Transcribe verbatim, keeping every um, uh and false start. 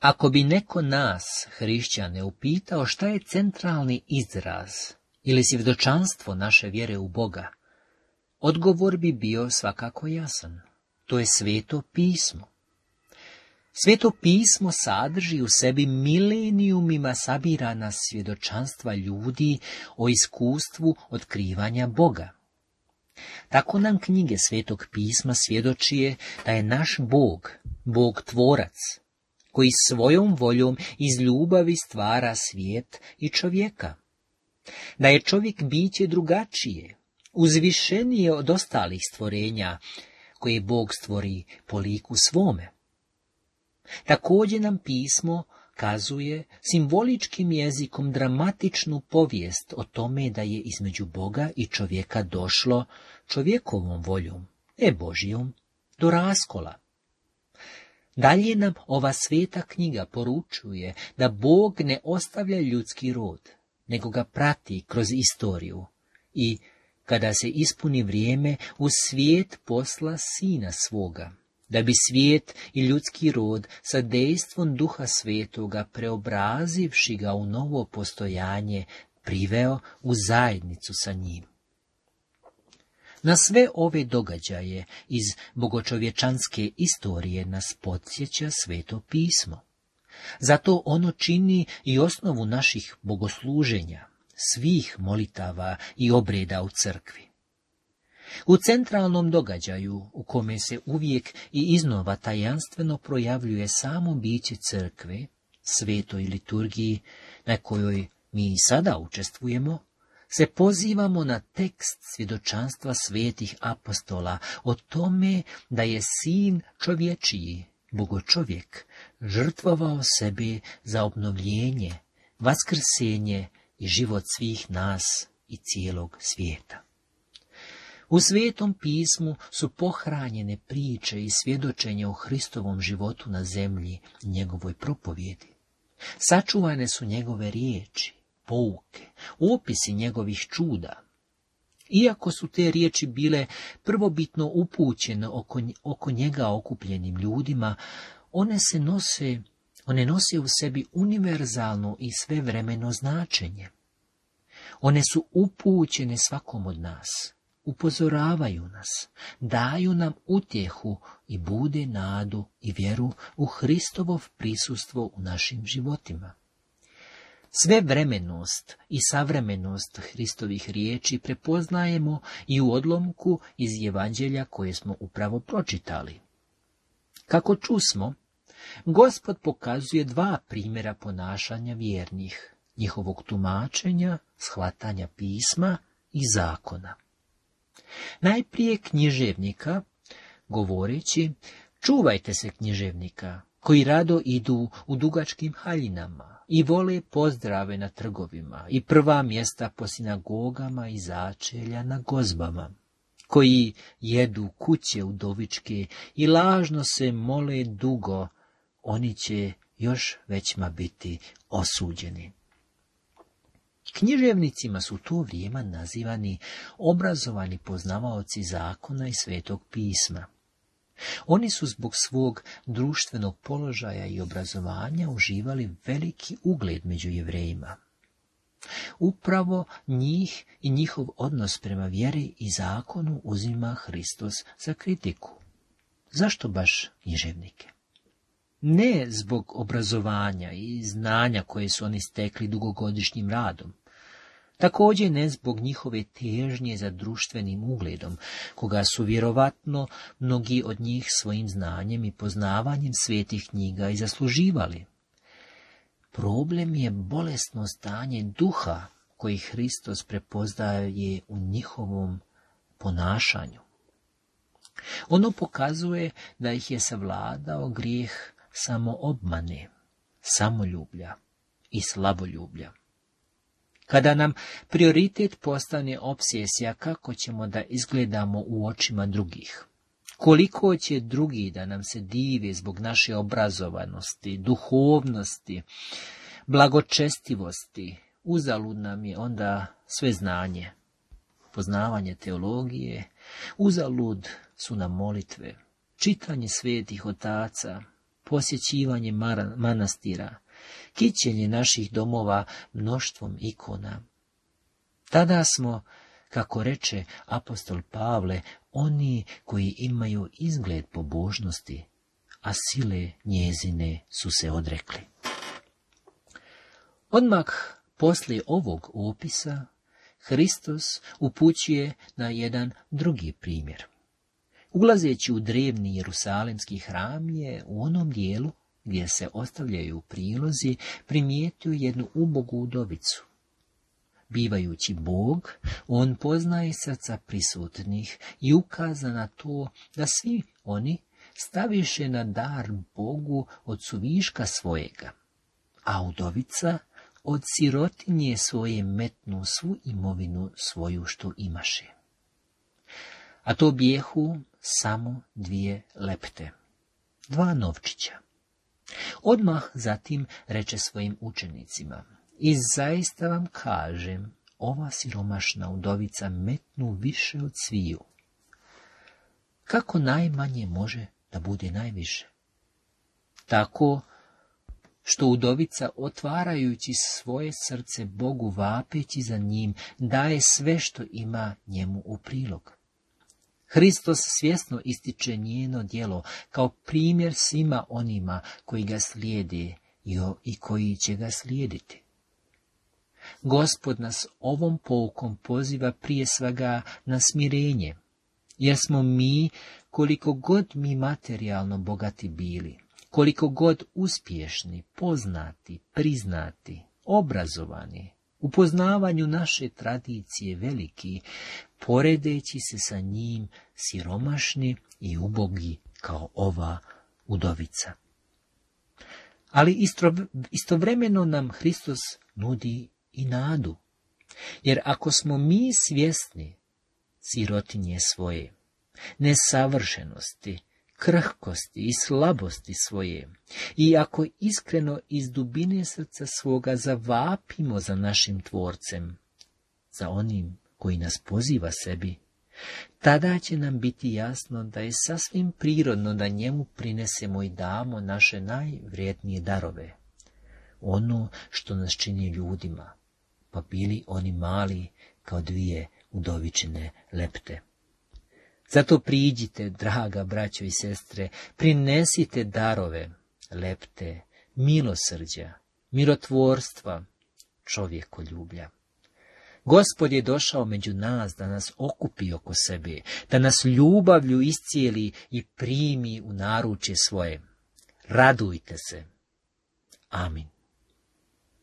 Ako bi neko nas, hrišćane, upitao šta je centralni izraz ili svjedočanstvo naše vjere u Boga, odgovor bi bio svakako jasan. To je Sveto pismo. Sveto pismo sadrži u sebi milenijumima sabirana svjedočanstva ljudi o iskustvu otkrivanja Boga. Tako nam knjige Svetog pisma svjedočije da je naš Bog, Bog tvorac, koji svojom voljom iz ljubavi stvara svijet i čovjeka. Da je čovjek biće drugačije, uzvišenije od ostalih stvorenja, koje Bog stvori po liku svome. Također nam pismo kazuje simboličkim jezikom dramatičnu povijest o tome da je između Boga i čovjeka došlo čovjekovom voljom, ne Božijom, do raskola. Dalje nam ova sveta knjiga poručuje da Bog ne ostavlja ljudski rod, nego ga prati kroz istoriju i, kada se ispuni vrijeme, u svijet posla Sina svoga, da bi svijet i ljudski rod sa dejstvom Duha Svetoga, preobrazivši ga u novo postojanje, priveo u zajednicu sa njim. Na sve ove događaje iz bogočovječanske istorije nas podsjeća Sveto pismo. Zato ono čini i osnovu naših bogosluženja, svih molitava i obreda u crkvi. U centralnom događaju, u kome se uvijek i iznova tajanstveno projavljuje samo biće crkve, svetoj liturgiji, na kojoj mi i sada učestvujemo, se pozivamo na tekst svjedočanstva svetih apostola o tome da je Sin čovječiji, bogočovjek, žrtvovao sebe za obnovljenje, vaskrsenje i život svih nas i cijelog svijeta. U Svetom pismu su pohranjene priče i svjedočenja o Hristovom životu na zemlji i njegovoj propovjedi. Sačuvane su njegove riječi, pouke, opisi njegovih čuda. Iako su te riječi bile prvobitno upućene oko, oko njega okupljenim ljudima, one se nose, one nose u sebi univerzalno i svevremeno značenje. One su upućene svakom od nas, upozoravaju nas, daju nam utjehu i bude nadu i vjeru u Hristovo prisustvo u našim životima. Svevremenost i savremenost Hristovih riječi prepoznajemo i u odlomku iz Evanđelja koje smo upravo pročitali. Kako čusmo, Gospod pokazuje dva primjera ponašanja vjernih, njihovog tumačenja, shvatanja pisma i zakona. Najprije književnika, govoreći, čuvajte se književnika, koji rado idu u dugačkim haljinama i vole pozdrave na trgovima i prva mjesta po sinagogama i začelja na gozbama, koji jedu kuće udovičke i lažno se mole dugo, oni će još većma biti osuđeni. Književnicima su u to vrijeme nazivani obrazovani poznavaoci zakona i Svetog pisma. Oni su zbog svog društvenog položaja i obrazovanja uživali veliki ugled među Jevrejima. Upravo njih i njihov odnos prema vjeri i zakonu uzima Hristos za kritiku. Zašto baš književnike? Ne zbog obrazovanja i znanja koje su oni stekli dugogodišnjim radom. Također ne zbog njihove težnje za društvenim ugledom, koga su vjerovatno mnogi od njih svojim znanjem i poznavanjem svetih knjiga i zasluživali. Problem je bolesno stanje duha koji Hristos prepoznaje u njihovom ponašanju. Ono pokazuje da ih je savladao grijeh samoobmane, samoljublja i slaboljublja. Kada nam prioritet postane obsesija kako ćemo da izgledamo u očima drugih, koliko će drugi da nam se dive zbog naše obrazovanosti, duhovnosti, blagočestivosti, uzalud nam je onda sve znanje, poznavanje teologije, uzalud su nam molitve, čitanje svetih otaca, posjećivanje manastira, kićenje naših domova mnoštvom ikona. Tada smo, kako reče apostol Pavle, oni koji imaju izgled pobožnosti, a sile njezine su se odrekli. Odmah poslije ovog opisa Hristos upućuje na jedan drugi primjer. Ulazeći u drevni Jerusalemski hram je u onom dijelu gdje se ostavljaju prilozi primijetio jednu ubogu udovicu. Bivajući Bog, on poznaje srca prisutnih i ukaza na to da svi oni staviše na dar Bogu od suviška svojega, a udovica od sirotinje svoje metnu svu imovinu svoju što imaše. A to bijehu samo dvije lepte, dva novčića. Odmah zatim reče svojim učenicima: i zaista vam kažem, ova siromašna udovica metnu više od sviju. Kako najmanje može da bude najviše? Tako što udovica, otvarajući svoje srce Bogu, vapeći za njim, daje sve što ima njemu u prilog. Hristos svjesno ističe njeno djelo kao primjer svima onima koji ga slijede i koji će ga slijediti. Gospod nas ovom poukom poziva prije svega na smirenje, jer smo mi, koliko god mi materijalno bogati bili, koliko god uspješni, poznati, priznati, obrazovani, u poznavanju naše tradicije veliki, poredeći se sa njim siromašni i ubogi kao ova udovica. Ali istovremeno nam Hristos nudi i nadu, jer ako smo mi svjesni sirotinje svoje, nesavršenosti, krhkosti i slabosti svoje, i ako iskreno iz dubine srca svoga zavapimo za našim Tvorcem, za onim koji nas poziva sebi, tada će nam biti jasno da je sasvim prirodno da njemu prinesemo i damo naše najvrijednije darove, ono što nas čini ljudima, pa bili oni mali kao dvije udovičine lepte. Zato priđite, draga braćo i sestre, prinesite darove, lepte, milosrđa, mirotvorstva, čovjekoljublja. Gospod je došao među nas da nas okupi oko sebe, da nas ljubavlju iscijeli i primi u naručje svoje. Radujte se. Amin.